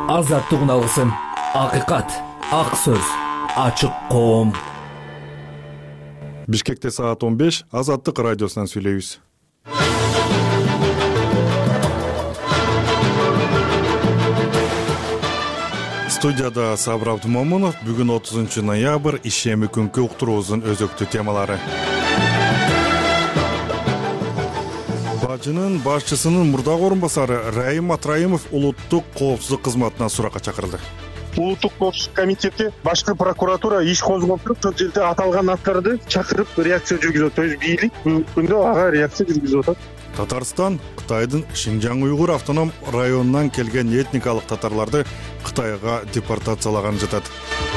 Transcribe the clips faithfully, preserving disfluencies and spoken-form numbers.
Азаттык алгысын, акыйкат, ак сөз, ачык коом. Бишкекте саат он беш, Азаттык радиосунан сүйлөйбүз. Студияда Сабыр Абдумомунов. Бүгүн отузунчу ноябрь, ишеми күнкү уктуруубуздун өзөктүү темалары. Бажынын башчысынын мурдагы орун басары Раим Атраимов улуттук коопсуздук кызматына суракка чакырылды. Улуттук коопсуздук комитети башкы прокуратура иш козготуп, сол жерде аталган аттарды чакырып реакция жүргүзөт. То есть бийлик бүгүнкү күндө ага реакция жүргүзүп атат. Татарстан Кытайдын Шинжаң уйгур автоном районунан келген этникалык татарларды Кытайга депортациялаган жатат.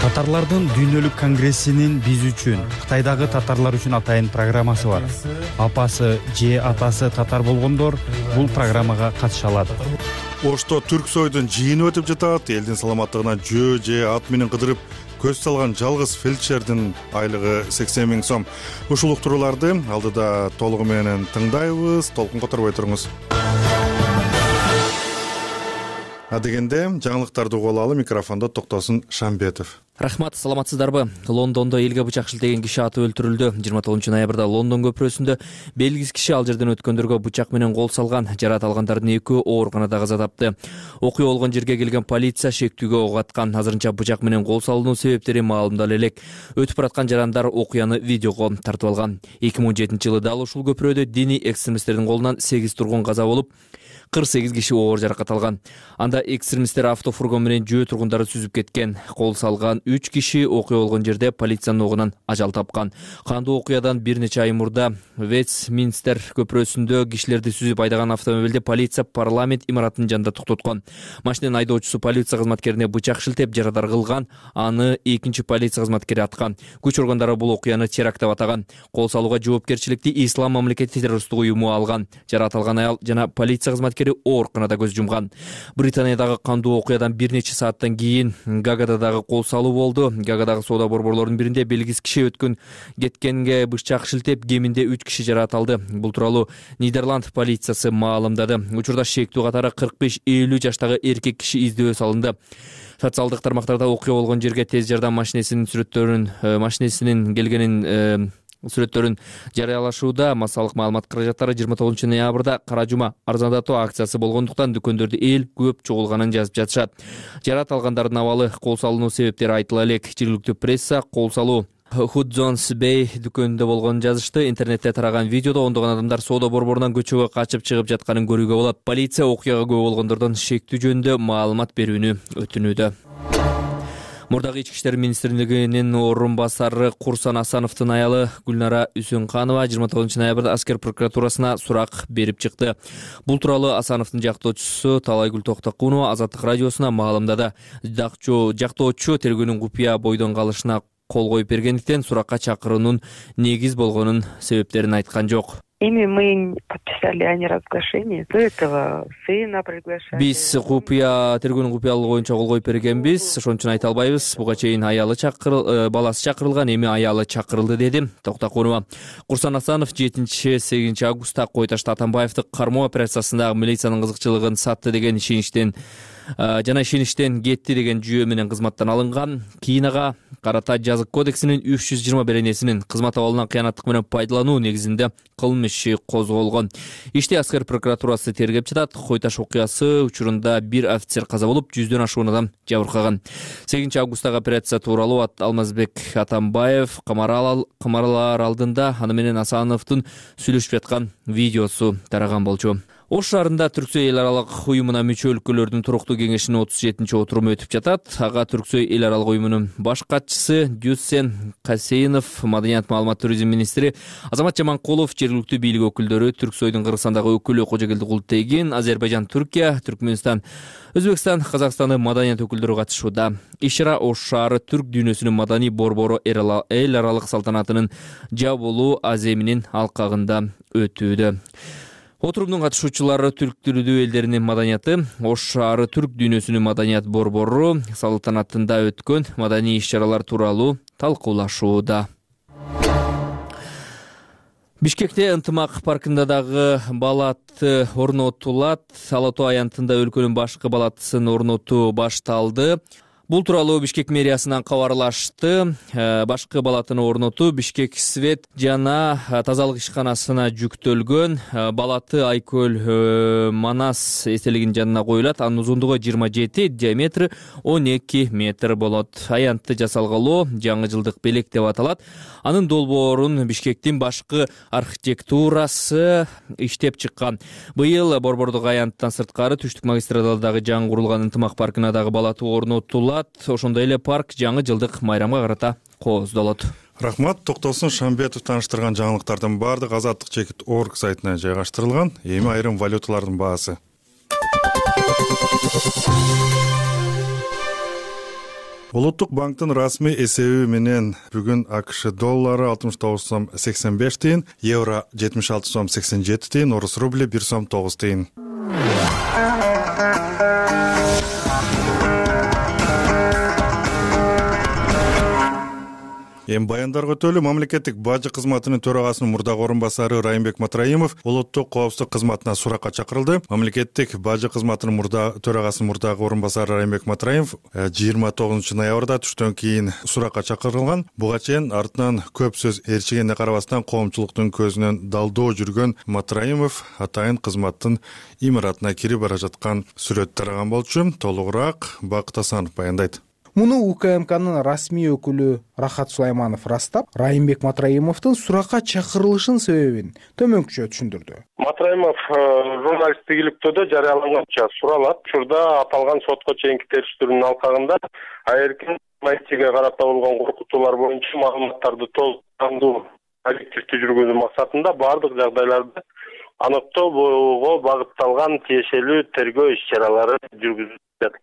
Татарлардын дүйнөлүк конгрессинин биз үчүн, Кытайдагы татарлар үчүн атайын программасы бар. Апасы же атасы татар болгондор бул программага катыша алат. Ошто Түрксойдун жыйыны өтүп жатат. Элдин саламаттыгына жөө же ат менен кыдырып көз салган жалгыз фельдшердин айлыгы сексен миң сом. Ушул уктурууларды алдыда толугу менен тыңдайбыз. Толкун которбой туруңуз. Адегенде жаңылыктарды угуп алалы. Микрофондо Токтосун Шамбетов. Рахмат, саламатсыздарбы? Лондондо элге бычак шилтеген киши атып өлтүрүлдү. жыйырма тогузунчу ноябрда Лондон көпүрөсүндө белгисиз киши ал жерден өткөндөргө бычак менен кол салган. Жарат алгандардын экөө ооруканада каза тапты. Окуя болгон жерге келген полиция шектүүгө ок аткан. Азырынча бычак менен кол салуунун себептери маалымдала элек. Өтүп бараткан жарандар окуяны видеого тартып алган. эки миң он жетинчи жылы дал ушул көпүрөдө диний экстремисттердин колунан сегиз тургун каза болуп, кырк сегиз киши оор жаракат алган. Анда экстремисттер автофургон менен жөө тургундары сүзүп кеткен. Кол салган үч киши окуя болгон жерде полициянын огунан ажал тапкан. Кандуу окуядан бир нече ай мурда Вестминстер көпүрөсүндө кишилерди сүзүп айдаган автомобилди полиция парламент имаратынын жанында токтоткон. Машинанын айдоочусу полиция кызматкерине бычак шилтеп жарадар кылган. Аны экинчи полиция кызматкери аткан. Күч органдары бул окуяны теракт деп атаган. Кол салууга жоопкерчиликти Ислам мамлекети террористтик уюму алган. Жарат алган аял жана полиция кызматкери ооруканада көз жумган. Британиядагы кандуу окуядан бир нече сааттан кийин Гагада дагы кол салуу болду. Гагадагы соода борборлорунун биринде белгисиз киши өткөн кеткенге бычак шилтеп, кеминде үч киши жарат алды. Бул тууралуу Нидерланд полициясы маалымдады. Учурда шектүү катары кырк беш элүү жаштагы эркек киши издөө салынды. Социалдык тармактарда окуя болгон жерге тез жардам машинесинин сүрөттөрүн, машинесинин келгенин сүрөттөрүн жарыялашууда. Массалык маалымат каражаттары жыйырма тогузунчу ноябрда Кара жума арзандатуу акциясы болгондуктан дүкөндөрдө эл көп чогулганын жазып жатышат. Жарат алгандардын абалы, кол салуу себептери айтыла элек. Жергиликтүү пресса кол салуу Худзонс Бей дүкөнүндө болгонун жазышты. Интернетте тараган видеодо ондогон адамдар соода борборунан көчөгө качып чыгып жатканын көрүүгө болот. Полиция окуяга күбө болгондордон шектүү жөнүндө маалымат берүүнү өтүнүүдө. Мурдагы ички иштер министрлигинин орун басары Курсан Асановдун аялы Гүлнара Үсөнканова жыйырма тогузунчу ноябрда аскер прокуратурасына сурак берип чыкты. Бул тууралуу Асановдун жактоочусу Талайгүл Токтокунова Азаттык радиосуна маалымдады. Жактоочу тергөөнүн купуя бойдон калышына кол коюп бергендиктен суракка чакыруунун негиз болгонун себептерин айткан жок. Ими мы подписали о неразглашении. До этого сына приглашали. Биз купуя тергөөнүн купуялыгы боюнча кол коюп бергенбиз. Ошон үчүн айта албайбыз. Буга чейин аялы чакырыл, баласы чакырылган, эми аялы чакырылды, деди Токтокунова. Курсан Асанов жетинчи сегизинчи августта Кой Ташты Атамбаевди кармоо операциясындагы милициянын кызыкчылыгын сатты деген ишеничтен жана ишеништен кетти деген жүйө менен кызматтан алынган. Кийин ага карата жазык кодексинин үч жүз жыйырма беренесинин кызмат абалынан кыянаттык менен пайдалануу негизинде кылмыш иши козголгон. Ишти аскер прокуратурасы тергеп жатат. Кой Таш окуясы учурунда бир офицер каза болуп, жүздөн ашуун адам жабыркаган. сегизинчи августтагы операция тууралуу Алмазбек Атамбаев камаралар алдында аны менен Асановдун сүйлөшүп жаткан видеосу тараган болчу. Ош шаарында Түрксөй эл аралык уюмуна мүчө өлкөлөрдүн туруктуу кеңешинин отуз жетинчи отуруму өтүп жатат. Ага Түрксөй эл аралык уюмунун баш катчысы Дюссен Касейнов, маданият маалымат туризм министри Азамат Жаманкулов, жергиликтүү бийлик өкүлдөрү, Түрксөйдүн Кыргызстандагы өкүлү Кожогелди Култегин, Азербайжан, Түркия, Түркмөнстан, Өзбекстан, Казакстандын маданият өкүлдөрү катышууда. Иш-чара Ош шаары түрк дүйнөсүнүн маданий борбору эл аралык салтанатынын жабылуу аземинин алкагында өтүүдө. Отурумдун катышуучулары түрк тилдүү элдеринин маданияты, Ош шаары түрк дүйнөсүнүн маданият борбору салтанатында өткөн маданий иш-чаралар тууралуу талкуулашууда. Бишкекте ынтымак паркында дагы балатты орнотулат. Ала Тоо аянтында өлкөнүн башкы балаттысын орнотуу башталды. Бул тууралуу Бишкек мэриясынан кабарлашты. Башкы балатыны орнотуу Бишкек Свет жана тазалык ишканасына жүктөлгөн. Балаты Айкөл Манас эстелигинин жанына коюлат. Анын узундугу жыйырма жети, диаметри он эки метр болот. Аянтты жасалгалоо жаңы жылдык белек деп аталат. Анын долбоорун Бишкектин башкы архитектурасы иштеп чыккан. Быйыл Борбордук аянттан сырткары Түштүк магистратадагы жаңы курулган ынтымак паркына дагы балаты орнотулат. Ошондой эле парк жаңы жылдык майрамга карата кооздолот. Рахмат. Токтосун Шамбетов тааныштырган жаңылыктардын баардыгы азаттык чекит орг сайтына жайгаштырылган. Эми айрым валюталардын баасы. Улуттук банктын расмий эсеби менен бүгүн АКШ доллары алтымыш тогуз сом сексен беш тыйын, евро жетимиш алты сом сексен жети тыйын, орус рубли бир сом тогуз тыйын. Эми баяндарга өтөлү. Мамлекеттик бажы кызматынын төрагасынын мурдагы орун басары Райымбек Матраимов улуттук коопсуздук кызматына суракка чакырылды. Мамлекеттик бажы кызматынын мурда төрагасынын мурдагы орун басары Райымбек Матраимов жыйырма тогузунчу ноябрда түштөн кийин суракка чакырылган. Буга чейин артынан көп сөз ээрчигенине карабастан коомчулуктун көзүнөн далдоо жүргөн Матраимов атайын кызматтын имаратына кирип бара жаткан сүрөт тараган болчу. Толугураак Бакыт Асанов баяндайт. Муну УКМКнын расмий өкүлү Рахат Сулайманов растап, Райымбек Матраимовдун суракка чакырылышынын себебин төмөнкүчө түшүндүрдү. Матраимов журналисттик иликтөөдө жарыялаганча суралат. Учурда аталган сотко чейинки териштирүүнүн алкагында айыркин маектиге карата болгон коркутуулар боюнча маалыматтарды толуктандуу объективдүү жүргүзүү максатында баардык жагдайларды аныктоого багытталган тиешелүү тергөө иш-чаралары жүргүзүлүп жатат.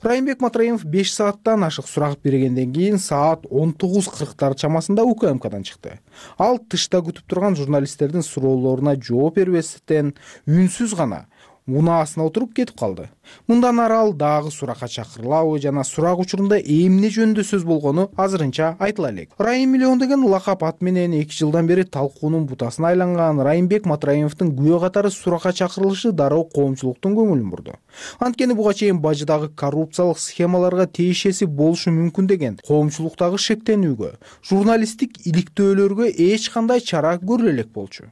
Райымбек Матраимов беш сааттан ашык сурак бергенден кийин саат он тогуз кырктар чамасында УКМКдан чыкты. Ал тышта күтүп турган журналисттердин суроолоруна жооп бербестен үнсүз гана унаасына отуруп кетип калды. Мындан ары ал дагы суракка чакырылабы жана сурак учурунда эмне жөнүндө сөз болгону азырынча айтыла элек. Райым миллион деген лакап ат менен эки жылдан бери талкуунун бутасына айланган Райымбек Матраимовдун күбө катары суракка чакырылышы дароо коомчулуктун көңүлүн бурду. Анткени буга чейин бажыдагы коррупциялык схемаларга тиешеси болушу мүмкүн деген коомчулуктагы шектенүүгө, журналисттик иликтөөлөргө эч кандай чара көрүлө элек болчу.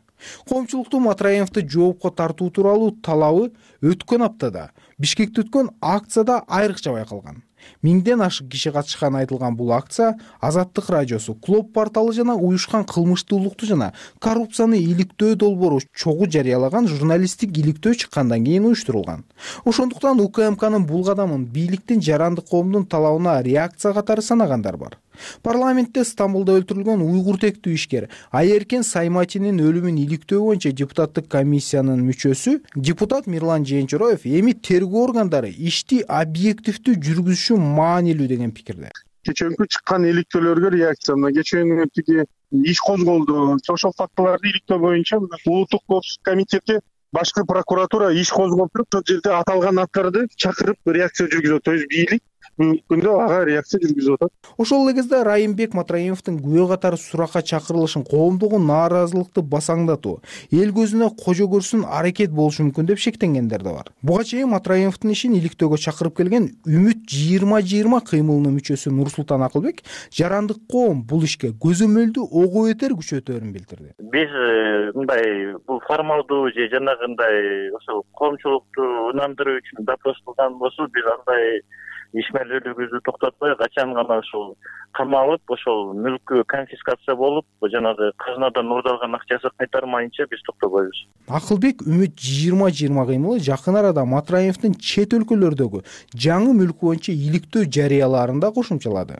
Коомчулуктун Матраимовду жоопко тартуу тууралуу талабы өткөн аптада Бишкекте өткөн акцияда айрыкча байкалган. Миңден ашык киши катышкан айтылган бул акция Азаттык радиосу, Клоп порталы жана уюшкан кылмыштуулукту жана коррупцияны иликтөө долбоору чогуу жарыялаган журналисттик иликтөө чыккандан кийин уюштурулган. Ошондуктан УКМКнын бул кадамын бийликтин жарандык коомдун талабына реакция катары санагандар бар. Парламентте Стамбулда өлтүрүлгөн уйгур тектүү ишкер Айеркен Сайматинин өлүмүн иликтөө боюнча депутаттык комиссиянын мүчөсү депутат Мирлан Жээнчороев эми тергөө органдары ишти объективдүү жүргүзүшү маанилүү деген пикирде. Кечээкү чыккан иликтөөлөргө реакция мына кечээкү тиги иш козголду. Ошол фактыларды иликтөө боюнча улуттук коопсуздук комитети башкы прокуратура иш козгоп туруп, ошол жерде аталган аттарды чакырып реакция жүргүзөт. То есть бийлик күндө ага реакция жүргүзүп атат. Ошол эле кезде Райымбек Матраимовдун күбө катары суракка чакырылышын коомдугу нааразылыкты басаңдатуу, эл көзүнө кожо көрсүн аракет болушу мүмкүн деп шектенгендер да бар. Буга чейин Матраимовдун ишин иликтөөгө чакырып келген Үмүт жыйырма жыйырма кыймылынын мүчөсү Нурсултан Акылбек жарандык коом бул ишке көзөмөлдүү ого бетер күчөтөөрүн билдирди. Биз мындай бул формалдуу же жанагындай ошол коомчулукту ынандыруу үчүн допрос кылган болсо биз андай ишмерлүүлүгүбүздү токтотпой качан гана ушул камалып, ошол мүлкү конфискация болуп, жанагы казынадан уурдалган акчасы кайтармайынча биз токтобойбуз. Акылбек Үмүт жыйырма жыйырма кыймылы жакын арада Матраимовдун чет өлкөлөрдөгү жаңы мүлкү боюнча иликтөө жарыялаарын да кошумчалады.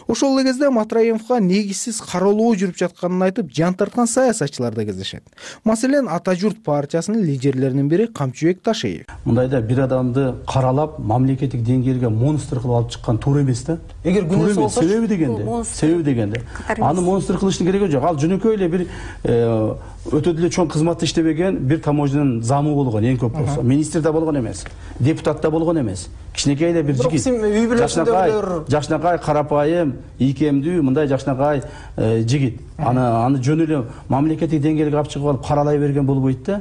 Ошол эле кезде Матраимовго негизсиз кароолоо жүрүп жатканын айтып, жан тарткан саясатчылар да кездешет. Маселен, Ата журт партиясынын лидерлеринин бири Камчыбек Ташеев. Мындайда бир адамды каралап, мамлекеттик деңгээлге монстр кылып алып чыккан туура эмес да. Эгер күнөөсү болсо, себеби дегенде, себеби дегенде. Аны монстр кылыштын кереги жок. Ал жөнөкөй эле бир өтө деле чоң кызматта иштебеген бир таможнянын замы болгон, эң көп болсо. Министр да болгон эмес, депутат да болгон эмес. Кичинекей эле бир жигит. Үй бүлөсүндөгүлөр жашнакай, карапайым, ийкемдүү, мындай жашнакай жигит. Аны аны жөн эле мамлекеттик деңгээлге алып чыгып алып каралай берген болбойт да.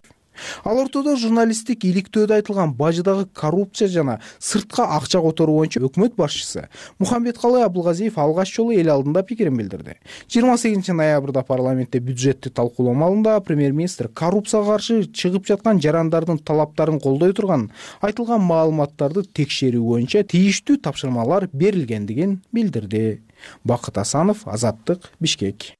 Ал ортодо журналисттик иликтөөдө айтылган бажыдагы коррупция жана сыртка акча которуу боюнча өкмөт башчысы Мухамбеткалый Абылгазиев алгач жолу эл алдында пикирин билдирди. жыйырма сегизинчи ноябрда парламентте бюджетти талкуулоо маалында премьер-министр коррупцияга каршы чыгып жаткан жарандардын талаптарын колдой турган айтылган маалыматтарды текшерүү боюнча тийиштүү тапшырмалар берилгендигин билдирди. Бакыт Асанов, Азаттык, Бишкек.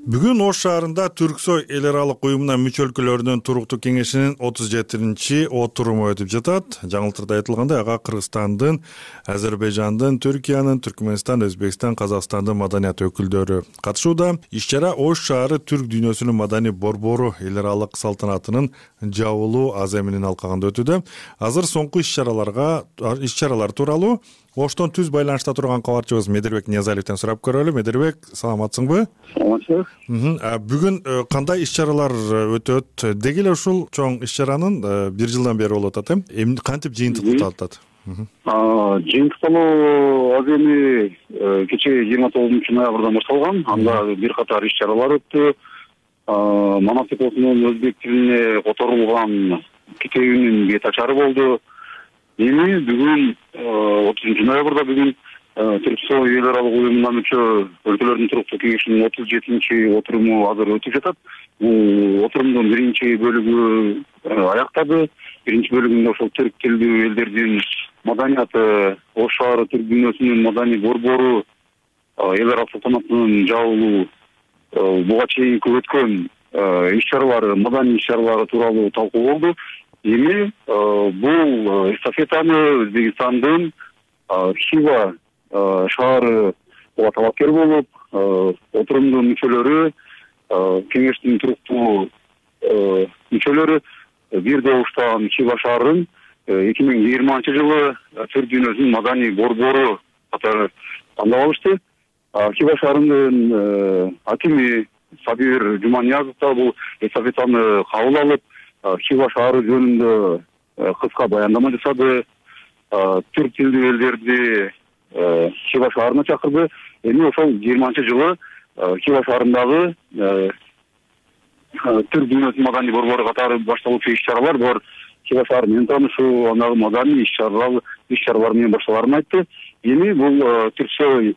Бүгүн Ош шаарында Түрксой эл аралык уюмуна мүчө өлкөлөрүнүн туруктуу кеңешинин отуз жетинчи отуруму өтүп жатат. Жаңылтырда айтылгандай, ага Кыргызстандын, Азербайжандын, Түркиянын, Түркмөнстан, Өзбекстан, Казакстандын маданият өкүлдөрү катышууда. Иш-чара Ош шаары түрк дүйнөсүнүн маданий борбору эл аралык салтанатынын жабылуу аземинин алкагында өтүүдө. Азыр соңку иш-чараларга иш-чаралар тууралуу Оштон түз байланышта турган кабарчыбыз Медербек Ниязалиевден сурап көрөлү. Медербек, саламатсыңбы? Саламатсыз. Бүгүн кандай иш-чаралар өтөт? Деги эле ушул чоң иш-чаранын бир жылдан бери болуп атат, э? Эмне кантип жыйынтык атат? Жыйынтык болуу аземи кечээ жыйырма тогузунчу ноябрдан башталган. Анда бир катар иш-чаралар өттү. Манас эпосунун өзбек тилине которулган китебинин бет ачары болду. Эми бүгүн отузунчу ноябрда бүгүн Түрксой эл аралык уюмуна мүчө өлкөлөрдүн туруктуу кеңешинин отуз жетинчи отуруму азыр өтүп жатат. Бул отурумдун биринчи бөлүгү аяктады. Биринчи бөлүгүндө ошол түрк тилдүү элдердин маданияты, Ош шаары түрк дүйнөсүнүн маданий борбору эл аралык салтанатынын жабылуу буга чейинки өткөн иш-чаралары, маданий иш-чаралары тууралуу талкуу болду. Эми бул эстафетаны Өзбекстандын Хива шаары буга талапкер болуп, отурумдун мүчөлөрү, кеңештин туруктуу мүчөлөрү бир добуштан Хива шаарын эки миң жыйырманчы жылы түрк дүйнөсүнүн маданий борбору катары тандап алышты. Хива шаарынын акими Сабир Жуманиязов да бул эстафетаны кабыл алып, Хива шаары жөнүндө кыска баяндама жасады. Түрк тилдүү элдерди Хива шаарына чакырды. Эми ошол жыйырманчы жылы Хива шаарындагы түрк дүйнөсүнүн маданий борбору катары башталуучу иш-чаралар бар. Хива шаары менен таанышуу, анагы маданий иш-чаралар иш-чаралар менен башталарын айтты. Эми бул Түрксой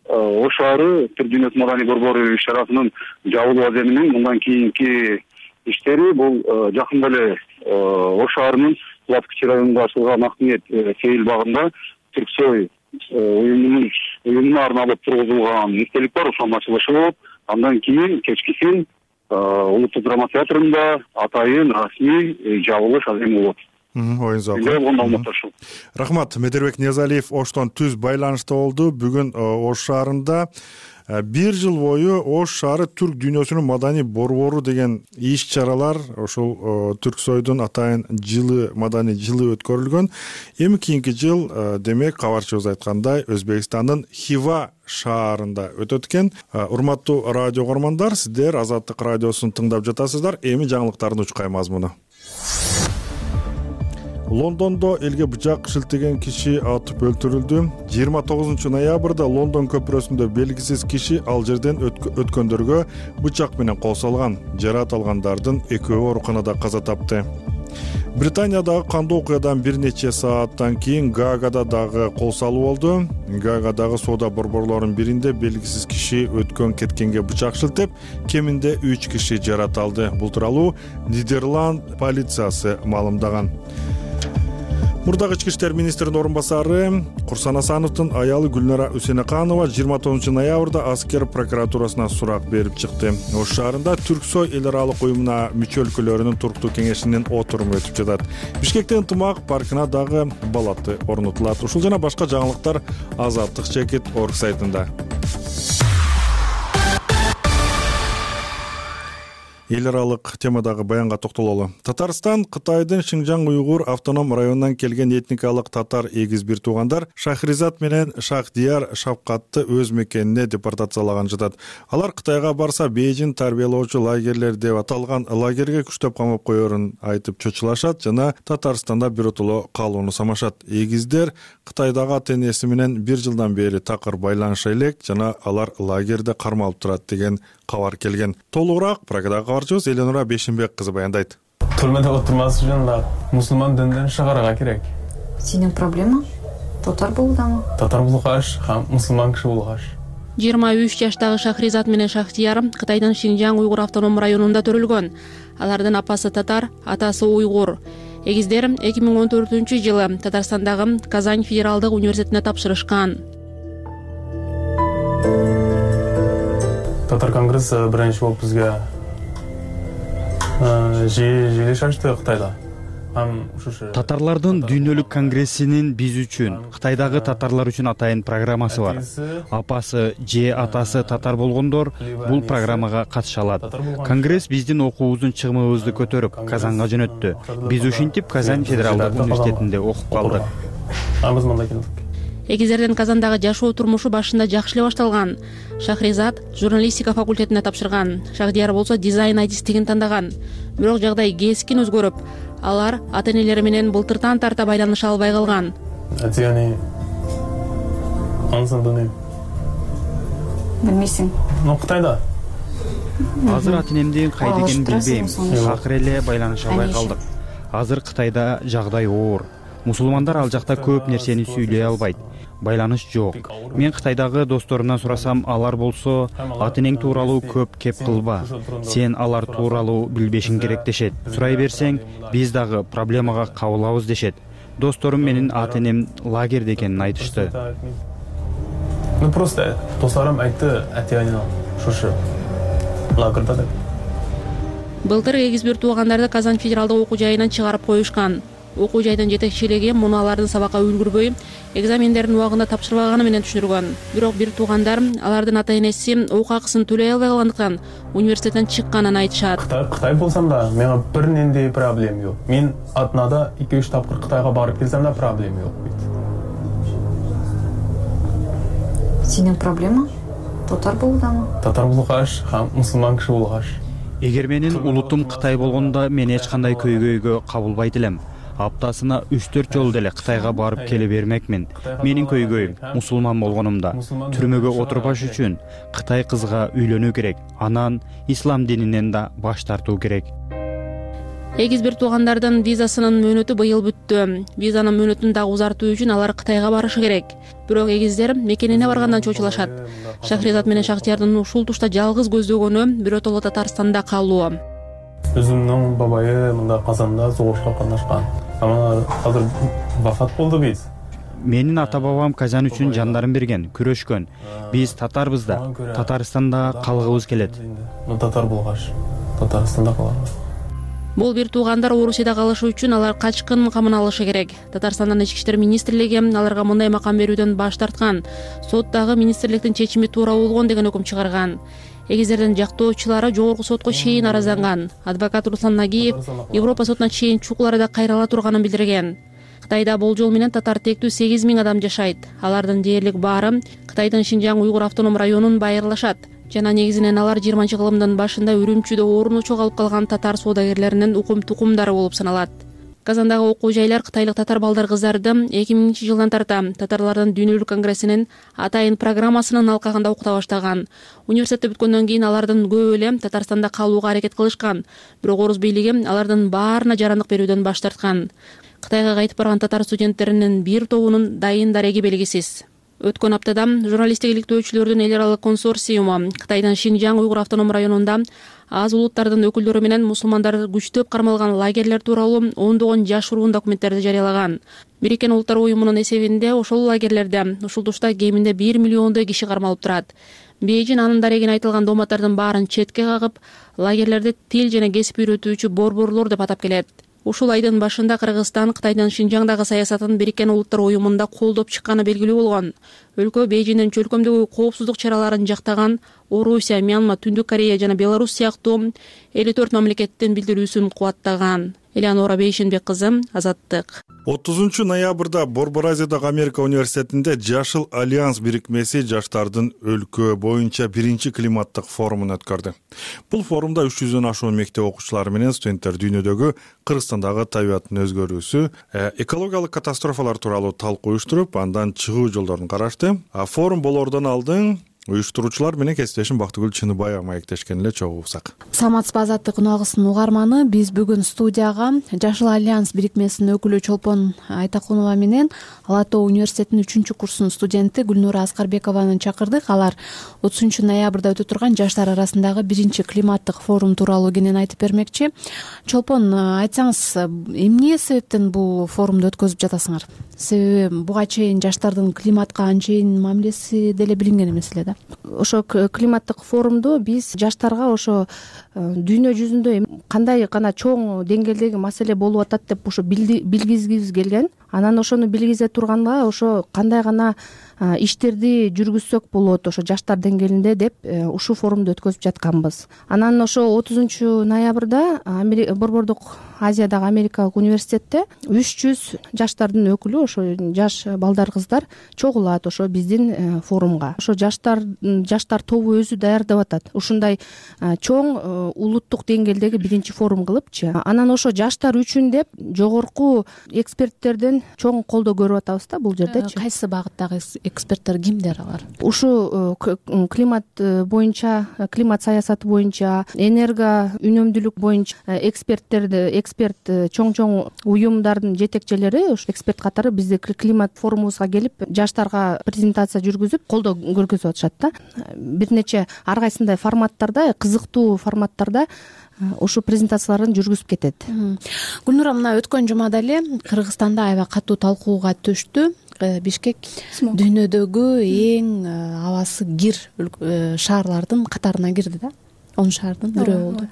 Ош шаары түрк дүйнөсүнүн маданий борбору иш-чарасынын жабылуу аземинин мындан кийинки иштери бул жакында эле Ош шаарынын Латкычы районунда ачылган Акниет сейил багында Түрксой уюмунун уюмуна арналып тургузулган эстелик бар, ошонун ачылышы болуп, андан кийин кечкисин Улуттук драма театрында атайын расмий жабылыш аземи болот. Оюн зал. Рахмат. Медербек Ниязалиев Оштон түз байланышта болду. Бүгүн Ош шаарында бир жыл бою Ош шаары түрк дүйнөсүнүн маданий борбору деген иш-чаралар, ошол Түрксойдун атайын жылы, маданий жылы өткөрүлгөн. Эми кийинки жыл, демек, кабарчыбыз айткандай, Өзбекстандын Хива шаарында өтөт экен. Урматтуу радио көрөрмандар, сиздер Азаттык радиосун тыңдап жатасыздар. Эми жаңылыктардын учкай мазмуну. Лондондо элге бычак шилтеген киши атып өлтүрүлдү. жыйырма тогузунчу ноябрда Лондон көпүрөсүндө белгисиз киши ал жерден өткөндөргө бычак менен кол салган. Жарат алгандардын экөө ооруканада каза тапты. Британиядагы кандуу окуядан бир нече сааттан кийин Гаагада дагы кол салуу болду. Гаагадагы соода борборлорунун биринде белгисиз киши өткөн кеткенге бычак шилтеп, кеминде үч киши жарат алды. Бул тууралуу Нидерланд полициясы маалымдаган. Мурдагы ички иштер министринин орун басары Курсан Асановдун аялы Гүлнара Үсенеканова жыйырма тогузунчу ноябрда Аскер прокуратурасына сурак берип чыкты. Ош шаарында Түрксой эл аралык уюмуна мүчө өлкөлөрүнүн туруктуу кеңешинин отуруму өтүп жатат. Бишкекте ынтымак паркына дагы балаты орнотулат. Ушул жана башка жаңылыктар азаттык чекит орг сайтында. эл аралык темадагы баянга токтололу. Татарстан Кытайдын Шинжаң уйгур автоном районунан келген этникалык татар эгиз бир туугандар Шахризат менен Шахдияр Шапкатты өз мекенине депортациялаган жатат. Алар Кытайга барса Бейжин тарбиялоочу лагерлер деп аталган лагерге күчтөп камап коерун айтып чочулашат жана Татарстанда биротоло калууну самашат. Эгиздер Кытайдагы ата-энеси менен бир жылдан бери такыр байланыша элек жана алар лагерде кармалып турат деген кабар келген. Толугураак Прагадагы кабарчыбыз Эленора Бешимбек кызы баяндайт. Түрмөдө отурмас үчүн да мусулман дінден чыгарга керек. Сенин проблема татар болуудамы? Татар болгош, һәм мусулман киши болгош. жыйырма үч жаштагы Шахризат менен Шахдияр Кытайдын Шинжаң уйгур автоном районунда төрөлгөн. Алардын апасы татар, атасы уйгур. Эгиздер эки миң он төртүнчү жылы Татарстандагы Казань федералдык университетине тапшырышкан. Татар конгресси биринчи болуп бизге жыйылыш ачты Кытайда. Татарлардын дүйнөлүк конгрессинин биз үчүн, Кытайдагы татарлар үчүн атайын программасы бар. Апасы же атасы татар болгондор бул программага катыша алат. Конгресс биздин окуубуздун чыгымыбызды көтөрүп Казанга жөнөттү. Биз ушинтип Казань федералдык университетинде окуп калдык. Биз мында келдик. Эгиздердин Казандагы жашоо турмушу башында жакшы эле башталган. Шахризат журналистика факультетине тапшырган. Шахдияр болсо дизайн адистигин тандаган. Бирок жагдай кескин өзгөрүп, алар ата-энелери менен былтыртан тарта байланыша албай калган. Атияни ансын дөнөй. Билмейсиң. Ну Кытайда. Азыр ата-энемдин кайда экенин билбейм. Акыр эле байланыша албай калдык. Азыр Кытайда жагдай оор. Мусулмандар ал жакта көп нерсени сүйлөй албайт. Байланыш жок. Мен Кытайдагы досторумдан сурасам, алар болсо ата-энең тууралуу көп кеп кылба. Сен алар тууралуу билбешиң керек дешет. Сурай берсең, биз дагы проблемага кабылабыз дешет. Досторум менин ата-энем лагерде экенин айтышты. Ну просто досторум айтты, атияны шушу лагерда деп. Былтыр эгиз бир туугандарды Казань федералдык окуу жайынан чыгарып коюшкан. Окуу жайдын жетекчилиги муну алардын сабакка үлгүрбөй, экзамендердин убагында тапшырбаганы менен түшүнүргөн. Бирок бир туугандар алардын ата-энеси окуу акысын төлөй албай калгандыктан университеттен чыкканын айтышат. Кытай болсам да, менин бир нендей проблем жок. Мен атнада эки үч тапкыр Кытайга барып келсем да проблем жок дейт. Сенин проблема татар болуудамы? Татар болгош, һәм мусулман киши болгош. Эгер менин улутум Кытай болгондо мен эч кандай көйгөйгө кабылбайт элем. Аптасына үч төрт жолу деле Кытайга барып келе бермекмин. Менин көйгөйүм мусулман болгонумда түрмөгө отурбаш үчүн Кытай кызга үйлөнүү керек. Анан ислам дининен да баш тартуу керек. Эгиз бир туугандардын визасынын мөөнөтү быйыл бүттү. Визанын мөөнөтүн дагы узартуу үчүн алар Кытайга барышы керек. Бирок эгиздер мекенине баргандан чочулашат. Шахризат менен Шахдиярдын ушул тушта жалгыз көздөгөнү биротоло Татарстанда калуу. Өзүмдүн бабайы мында Казанда согушка катнашкан. Ама азыр вафат болду биз. Менин ата-бабам Казан үчүн жандарын берген, күрөшкөн. Биз татарбыз да, Татарстанда калгыбыз келет. Ну татар болгош, Татарстанда калабыз. Бул бир туугандар Орусияда калышы үчүн алар качкын камын алышы керек. Татарстандын ички иштер министрлиги аларга мындай макам берүүдөн баш тарткан. Сот дагы министрликтин чечими туура болгон деген өкүм чыгарган. Эгиздердин жактоочулары жогорку сотко чейин аразланган. Адвокат Руслан Нагиев Европа сотуна чейин чукул арада кайрала турганын билдирген. Кытайда болжол менен татар тектүү сегиз миң адам жашайт. Алардын дээрлик баары Кытайдын Шинжаң уйгур автоном районун байырлашат. Жана негизинен алар жыйырманчы кылымдын башында Үрүмчүдө орун чоголуп калган татар соодагерлеринин укум тукумдары болуп саналат. Казандагы окуу жайлар кытайлык татар балдар кыздарды эки миңинчи жылдан тарта татарлардын дүйнөлүк конгрессинин атайын программасынын алкагында окута баштаган. Университетти бүткөндөн кийин алардын көбү эле Татарстанда калууга аракет кылышкан. Бирок орус бийлиги алардын баарына жарандык берүүдөн баш тарткан. Кытайга кайтып барган татар студенттеринин бир тобунун дайын дареги белгисиз. Өткөн аптада журналисттик иликтөөчүлөрдүн эл аралык консорциуму Кытайдын Шинжаң уйгур автоном районунда аз улуттардын өкүлдөрү менен мусулмандар күчтөп кармалган лагерлер тууралуу ондогон жашыруун документтерди жарыялаган. Бириккен Улуттар уюмунун эсебинде ошол лагерлерде ушул тушта кеминде бир миллиондой киши кармалып турат. Бейжин анын дарегине айтылган дооматтардын баарын четке кагып, лагерлерди тил жана кесип үйрөтүүчү борборлор деп атап келет. Ушул айдын башында Кыргызстан Кытайдын Шинжаңдагы саясатын Бириккен Улуттар уюмунда колдоп чыкканы белгилүү болгон. өлкө Бейжиңдин чөлкөмдөгү коопсуздук чараларын жактаган Орусия, Мьянма, Түндүк Корея жана Беларусь сыяктуу элүү төрт мамлекеттин билдирүүсүн кубаттаган. Элеонора Бейшенбек кызы, Азаттык. отузунчу ноябрда Борбор Азиядагы Америка университетинде Жашыл альянс бирикмеси жаштардын өлкө боюнча биринчи климаттык форумун өткөрдү. Бул форумда үч жүздөн ашуун мектеп окуучулары менен студенттер дүйнөдөгү Кыргызстандагы табиаттын өзгөрүүсү, экологиялык катастрофалар тууралуу талкуу уюштуруп, андан чыгуу жолдорун карашты. Форум болоордон алдын уюштуруучулар менен кесиптешим Бактыгүл Чыныбаева маектешкен эле, чогуу уксак. Саламатсызбы Азаттык кунагыбыздын угарманы. Биз бүгүн студияга Жашыл альянс бирикмесинин өкүлү Чолпон Айтакунова менен Ала Тоо университетинин үчүнчү курсунун студенти Гүлнура Аскарбекованы чакырдык. Алар отузунчу ноябрда өтө турган жаштар арасындагы биринчи климаттык форум тууралуу кенен айтып бермекчи. Чолпон, айтсаңыз, эмне себептен бул форумду өткөзүп жатасыңар? Себеби буга чейин жаштардын климатка анчейин мамилеси деле билинген эмес эле да. Ошо климаттык форумду биз жаштарга ошо дүйнө жүзүндө кандай гана чоң деңгээлдеги маселе болуп атат деп ошо билгизгибиз келген. Анан ошону билгизе турганга ошо кандай гана иштерди жүргүзсөк болот ошо жаштар деңгээлинде деп ушул форумду өткөзүп жатканбыз. Анан ошо отузунчу ноябрда Борбордук Азиядагы Америкалык университетте үч жүз жаштардын өкүлү, ошо жаш балдар, кыздар чогулат ошо биздин форумга. Ошо жаштар жаштар тобу өзү даярдап атат. Ушундай чоң улуттук деңгээлдеги биринчи форум кылыпчы. Анан ошо жаштар үчүн деп жогорку эксперттерден чоң колдоо көрүп атабыз да бул жердечи. Кайсы багыттагы эксперттер кимдер алар? Ушу климат боюнча, климат саясаты боюнча, энерго үнөмдүүлүк боюнча эксперттерди, эксперт чоң-чоң уюмдардын жетекчилери ушу эксперт катары бизди климат форумубузга келип, жаштарга презентация жүргүзүп, колдоо көргөзүп атышат да. Бир нече ар кайсындай форматтарда, кызыктуу форматтарда ушу презентацияларын жүргүзүп кетет. Гүлнура, мына өткөн жумада эле Кыргызстанда аябай катуу талкууга түштү. Бишкек дүйнөдөгү эң абасы кир шаарлардын катарына кирди да. он шаардын бирөө болду.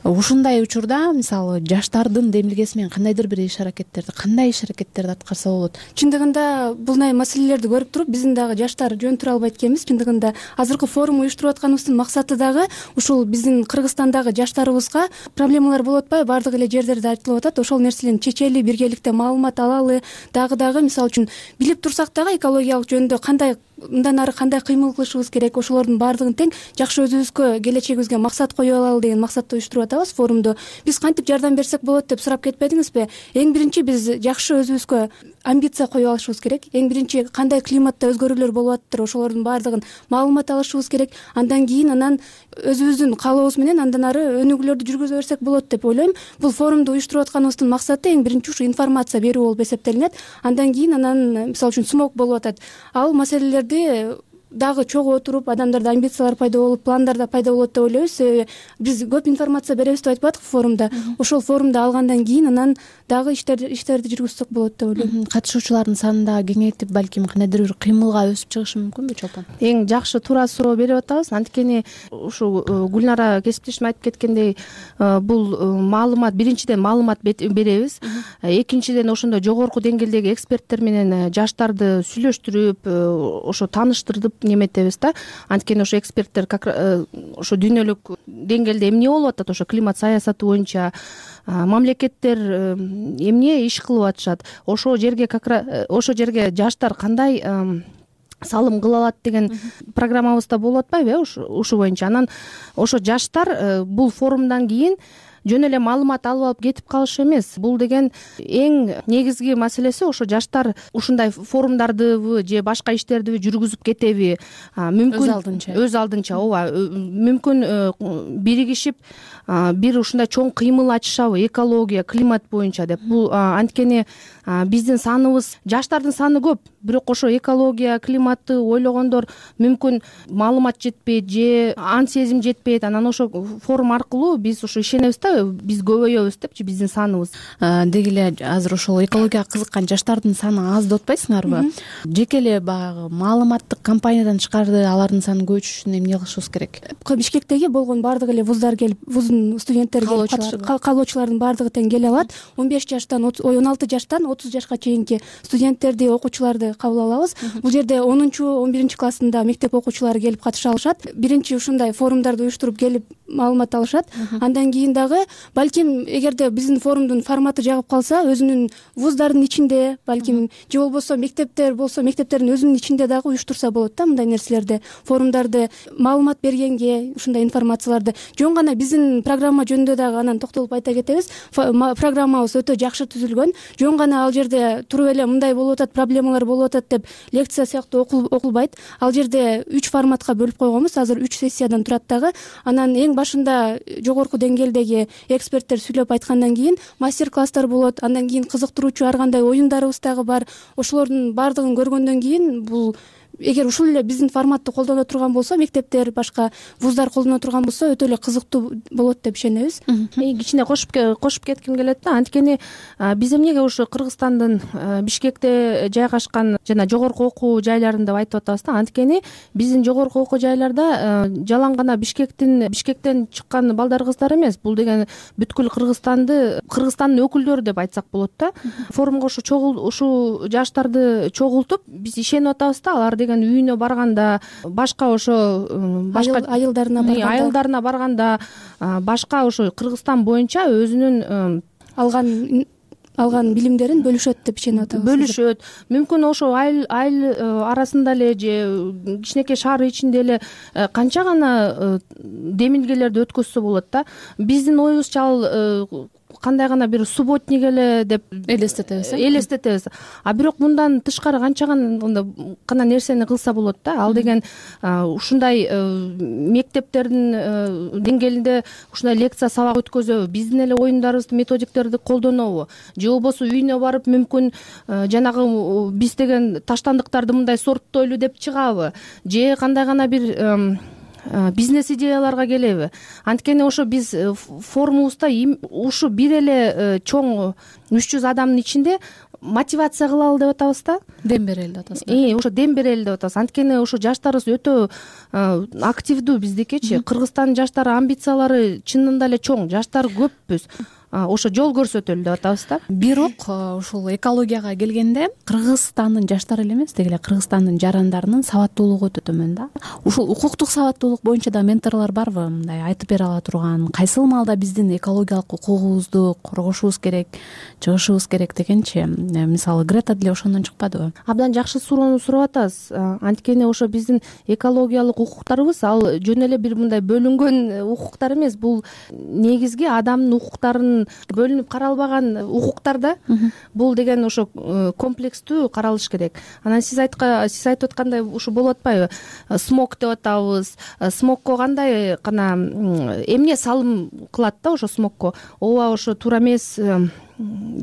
Ушундай учурда мисалы жаштардын демилгеси менен кандайдыр бир иш аракеттерди, кандай иш аракеттерди аткарса болот? Чындыгында булнай маселелерди көрүп туруп, биздин дагы жаштар жөн тура албайт экенбиз. Чындыгында азыркы форум уюштуруп атканыбыздын максаты дагы ушул биздин Кыргызстандагы жаштарыбызга проблемалар болуп атпайбы, бардык эле жерлерде айтылып атат. Ошол нерселерди чечели, биргеликте маалымат алалы, дагы дагы мисалы үчүн билип турсак дагы экологиялык жөнүндө кандай мындан ары кандай кыймыл кылышыбыз керек, ошолордун баардыгын тең жакшы өзүбүзгө, келечегибизге максат кое алалы деген максатта уюштуруп атабыз форумду. Биз кантип жардам берсек болот деп сурап кетпедиңизби? Эң биринчи биз жакшы өзүбүзгө амбиция коюп алышыбыз керек. Эң биринчи кандай климатта өзгөрүүлөр болуп атыптыр, ошолордун баардыгын маалымат алышыбыз керек. Андан кийин анан өзүбүздүн каалообуз менен андан ары өнүгүүлөрдү жүргүзө берсек болот деп ойлойм. Бул форумду уюштуруп атканыбыздын максаты эң биринчи ушу информация берүү болуп эсептелинет. Андан кийин анан мисалы үчүн смог болуп атат. Ал маселелерди дагы чогуу отуруп, адамдарда амбициялар пайда болуп, пландар да пайда болот деп ойлойбуз. Себеби биз көп информация беребиз деп айтып атык форумда. Ошол форумду алгандан кийин анан дагы иштерди иштерди жүргүзсөк болот деп ойлойм. Катышуучулардын саны дагы кеңейтип, балким кандайдыр бир кыймылга өсүп чыгышы мүмкүнбү, Чолпон? Эң жакшы туура суроо берип атабыз. Анткени ушу Гүлнара кесиптешим айтып кеткендей, бул маалымат, биринчиден маалымат беребиз. Экинчиден ошондой жогорку деңгээлдеги эксперттер менен жаштарды сүйлөштүрүп, ошо тааныштырып неметебиз да. Анткени ошо эксперттер как ошо дүйнөлүк деңгээлде эмне болуп атат, ошо климат саясаты боюнча мамлекеттер эмне иш кылып атышат, ошол жерге как раз ошол жерге жаштар кандай салым кыла алат деген программабызда болуп атпайбы, э, ушу боюнча. Анан ошо жаштар бул форумдан кийин жөн эле маалымат алып алып кетип калышы эмес. Бул деген эң негизги маселеси ошо жаштар ушундай форумдардыбы же башка иштердиби жүргүзүп кетеби, мүмкүн өз алдынча өз алдынча ооба, мүмкүн биригишип бир ушундай чоң кыймыл ачышабы экология, климат боюнча деп. Бул анткени биздин саныбыз, жаштардын саны көп, бирок ошо экология, климатты ойлогондор мүмкүн маалымат жетпейт же ан сезим жетпейт. Анан ошо форум аркылуу биз ушу ишенебиз да, да биз көбөйөбүз депчи, биздин саныбыз. Деги эле азыр ошол экологияга кызыккан жаштардын саны аз деп атпайсыңарбы? Жеке эле баягы маалыматтык компаниядан тышкары алардын саны көбөйүш үчүн эмне кылышыбыз керек? Бишкектеги болгон баардык эле вуздар келип, вуздун студенттери каалоочулардын баардыгы тең келе алат. он беш жаштан он алты жаштан отуз жашка чейинки студенттерди, окуучуларды кабыл алабыз. Бул жерде онунчу он биринчи классында мектеп окуучулары келип катыша алышат. Биринчи ушундай форумдарды уюштуруп келип маалымат алышат. Андан кийин дагы балким эгерде биздин форумдун форматы жагып калса, өзүнүн вуздардын ичинде, балким же болбосо мектептер болсо мектептердин өзүнүн ичинде дагы уюштурса болот да мындай нерселерди, форумдарды, маалымат бергенге ушундай информацияларды. Жөн гана биздин программа жөнүндө дагы анан токтолуп айта кетебиз. Программабыз өтө жакшы түзүлгөн. Жөн гана ал жерде туруп эле мындай болуп атат, проблемалар болуп атат деп лекция сыяктуу окулбайт. Ал жерде үч форматка бөлүп койгонбуз. Азыр үч сессиядан турат дагы. Анан эң башында жогорку деңгээлдеги эксперттер сүйлөп айткандан кийин мастер-класстар болот. Андан кийин кызыктыруучу ар кандай оюндарыбыз дагы бар. Ошолордун баардыгын көргөндөн кийин бул эгер ушул эле биздин форматты колдоно турган болсо, мектептер, башка вуздар колдоно турган болсо өтө эле кызыктуу болот деп ишенебиз. Кичине кошуп кошуп кетким келет да. Анткени биз эмнеге ушу Кыргызстандын Бишкекте жайгашкан жана жогорку окуу жайларын деп айтып атабыз да. Анткени биздин жогорку окуу жайларда жалаң гана Бишкектин Бишкектен чыккан балдар кыздар эмес. Бул деген бүткүл Кыргызстанды, Кыргызстандын өкүлдөрү деп айтсак болот да. Форумга ушу чогул ушул жаштарды чогултуп биз ишенип атабыз да. Алар деген үйүнө барганда, башка ошо башка айылдарына барганда, айылдарына барганда, башка ошо Кыргызстан боюнча өзүнүн алган алган билимдерин бөлүшөт деп ишенип атабыз. Бөлүшөт. Мүмкүн ошо айыл айыл арасында эле же кичинекей шаар ичинде эле канча гана демилгелерди өткөзсө болот да. Биздин оюбузча ал кандай гана бир субботник эле деп элестетебиз. Элестетебиз. А бирок мындан тышкары канча гана нерсени кылса болот да. Ал деген ушундай мектептердин деңгээлинде ушундай лекция сабак өткөзөбү, биздин эле оюндарыбызды, методиктерди колдонобу, же болбосо үйүнө барып мүмкүн жанагы биз деген таштандыктарды мындай сорттойлу деп чыгабы, же кандай гана бир бизнес идеяларга келеби. Анткени ошо биз форумубузда ушу бир эле чоң үч жүз адамдын ичинде мотивация кылалы деп атабыз да. Дем берели деп атабыз. Э, ошо дем берели деп атабыз. Анткени ошо жаштарыбыз өтө активдүү биздикичи. Кыргызстандын жаштары амбициялары чынында эле чоң, жаштар көппүз. Ошо жол көрсөтөлү деп атабыз да. Бирок ушул экологияга келгенде Кыргызстандын жаштары эле эмес, деги эле Кыргызстандын жарандарынын сабаттуулугу өтө төмөн да. Ушул укуктук сабаттуулук боюнча да менторлор барбы, мындай айтып бере ала турган, кайсыл маалда биздин экологиялык укугубузду коргошубуз керек, чыгышыбыз керек дегенчи. Мисалы Грета деле ошондон чыкпадыбы? Абдан жакшы суроону сурап атасыз. Анткени ошо биздин экологиялык укуктарыбыз ал жөн эле бир мындай бөлүнгөн укуктар эмес. Бул негизги адамдын укуктарын бөлүнүп каралбаган укуктар да. Бул деген ошо комплекстүү каралыш керек. Анан сиз айтка сиз айтып аткандай ушу болуп атпайбы? Смог деп атабыз. Смогко кандай гана эмне салым кылат да ошо смогко? Ооба ошо туура эмес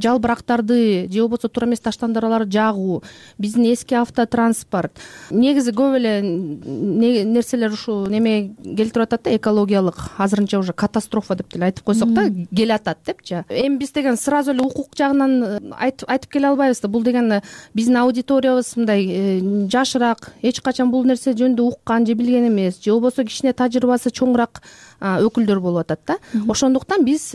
жалбырактарды же болбосо туура эмес таштандыраларды жагуу, биздин эски автотранспорт. Негизи көп эле нерселер ушу неме келтирип атат да, экологиялык азырынча уже катастрофа деп деле айтып койсок да, келатат депчи. Эми биз деген сразу эле укук жагынан айтып айтып келе албайбыз да. Бул деген биздин аудиториябыз мындай жашыраак, эч качан бул нерсе жөнүндө уккан же билген эмес, же болбосо кичине тажрыйбасы чоңураак өкүлдөр болуп атат да. Ошондуктан биз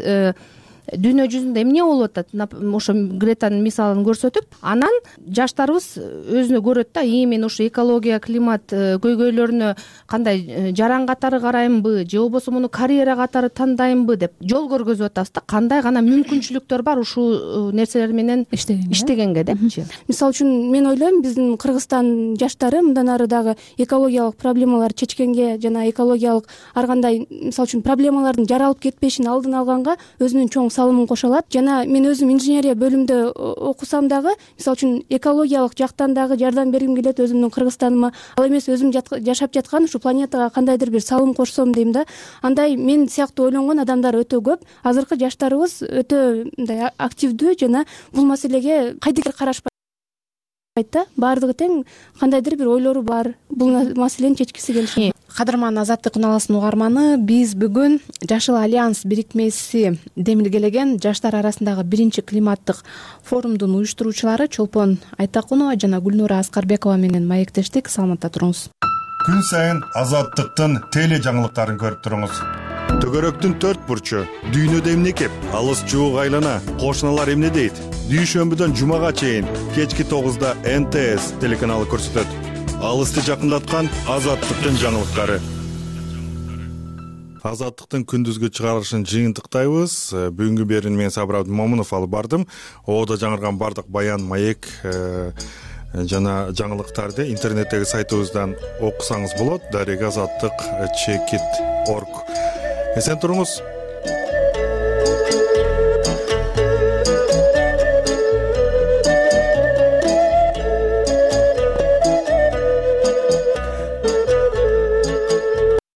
дүйнө жүзүндө эмне болуп атат, ошо Гретанын мисалын көрсөтүп, анан жаштарыбыз өзүнө көрөт да, и мен ошо экология, климат көйгөйлөрүнө кандай жаран катары караймынбы, же болбосо муну карьера катары тандаймынбы деп жол көргөзүп атабыз да. Кандай гана мүмкүнчүлүктөр бар ушул нерселер менен иштегенге депчи. Мисалы үчүн мен ойлойм, биздин Кыргызстан жаштары мындан ары дагы экологиялык проблемаларды чечкенге жана экологиялык ар кандай мисалы үчүн проблемалардын жаралып кетпешин алдын алганга өзүнүн чоң салымын кошо алат. Жана мен өзүм инженерия бөлүмдө окусам дагы, мисалы үчүн экологиялык жактан дагы жардам бергим келет өзүмдүн Кыргызстаныма. Ал эмес өзүм жашап жаткан ушу планетага кандайдыр бир салым кошсом дейм да. Андай мен сыяктуу ойлонгон адамдар өтө көп. Азыркы жаштарыбыз өтө мындай активдүү жана бул маселеге кайдыгер карашпайт да. Баардыгы тең кандайдыр бир ойлору бар. Бул маселени чечкиси келишет. кадырман азаттык күналаасынын угарманы, биз бүгүн Жашыл альянс бирикмеси демилгелеген жаштар арасындагы биринчи климаттык форумдун уюштуруучулары Чолпон Айтакунова жана Гүлнура Аскарбекова менен маектештик. Саламатта туруңуз. Күн сайын азаттыктын теле жаңылыктарын көрүп туруңуз. Төгөрөктүн төрт бурчу, дүйнөдө эмне кеп, алыс жуук айлана, кошуналар эмне дейт? Дүйшөмбүдөн жумага чейин кечки тогузда эн тэ эс телеканалы көрсөтөт. Алысты жакындаткан азаттыктын жаңылыктары. Азаттыктын күндүзгү чыгарылышын жыйынтыктайбыз. Бүгүнкү берүүнү мен Сабыр Абдымомунов алып бардым. Ободо жаңырган бардык баян, маек жана жаңылыктарды интернеттеги сайтыбыздан окусаңыз болот. дарега азаттык чекит точка орг. Эсен туруңуз.